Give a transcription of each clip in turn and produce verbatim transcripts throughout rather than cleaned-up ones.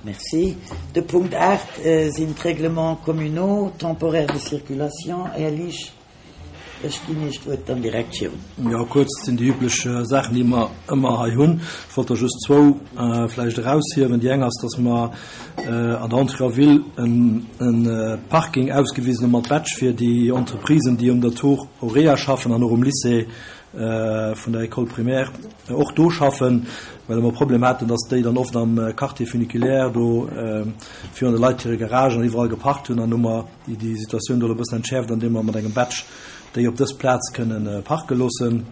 Merci. De Punkt aacht sinn d'Règlements communaux temporaires de circulation. Här Liesch, ech ginn Iech d'Wuert dann direkt virun. Jo, kuerz, et sinn déi üblech Saachen, déi mer ëmmer hei hunn. Ech wollt der just zwou vläicht eraushiewen. Déi eng ass, dass mer an der Entrée en ville e Parking ausgewisen hu mat Badge fir déi Entreprisen, déi um der Tour Aurea schaffen an och um Lycée vun der École primaire och do schaffen, well mer Problem haten, dass déi dann oft am Quartier funiculaire do virun de Leit hire Garagen an iwwerall geparkt hunn. An hu mer déi Situatioun do elo e bëssen entschäerft, andeem mer mat engem Badge déi op dës Plaz kënnen parke loossen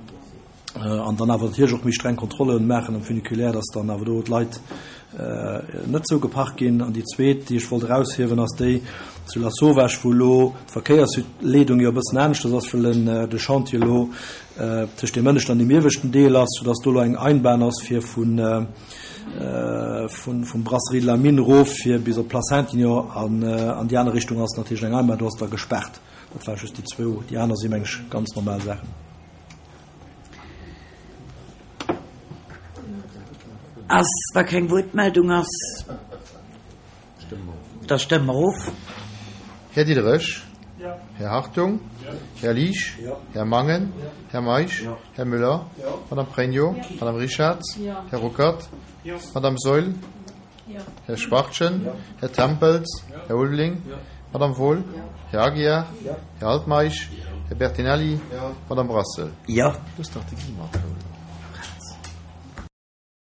an dann awer natierlech och méi streng Kontrolle maachen am Funiculaire, dass dann awer do d'Leit net sou geparkt ginn. An déi zweet, déi ech wollt eraushiewen, ass déi zu Lasauvage, wou elo d'Verkéiersleedung jo e bëssen aneschters ass, well de Chantier elo tëscht deem ënneschten an deem ieweschten Deel ass, soudass do elo eng Einbahn ass fir vun vum Brasserie de la Mine erof fir bis op d'Place Saintignon an an déi aner Richtung ass natierlech eng Einbahn, do ass da gespaart. Dat ware just déi zwou. Déi aner si meng ech ganz normal Saachen. Ass, wa keng Wuertmeldung ass, da stëmme mer of. Här Diderich? Här Hartung? Här Liesch? Här Mangen? Här Meisch? Här Müller? Madame Pregno? Madame Richarz? Här Ruckert? Madame Saeul? Här Schwachtgen? Här Tempels? Här Ulveling? Madame Wohl? Här Aguiar? Här Altmeisch? Här Bertinelli? Madame Brassel? Jo. Du hues dach de Guy matgeholl.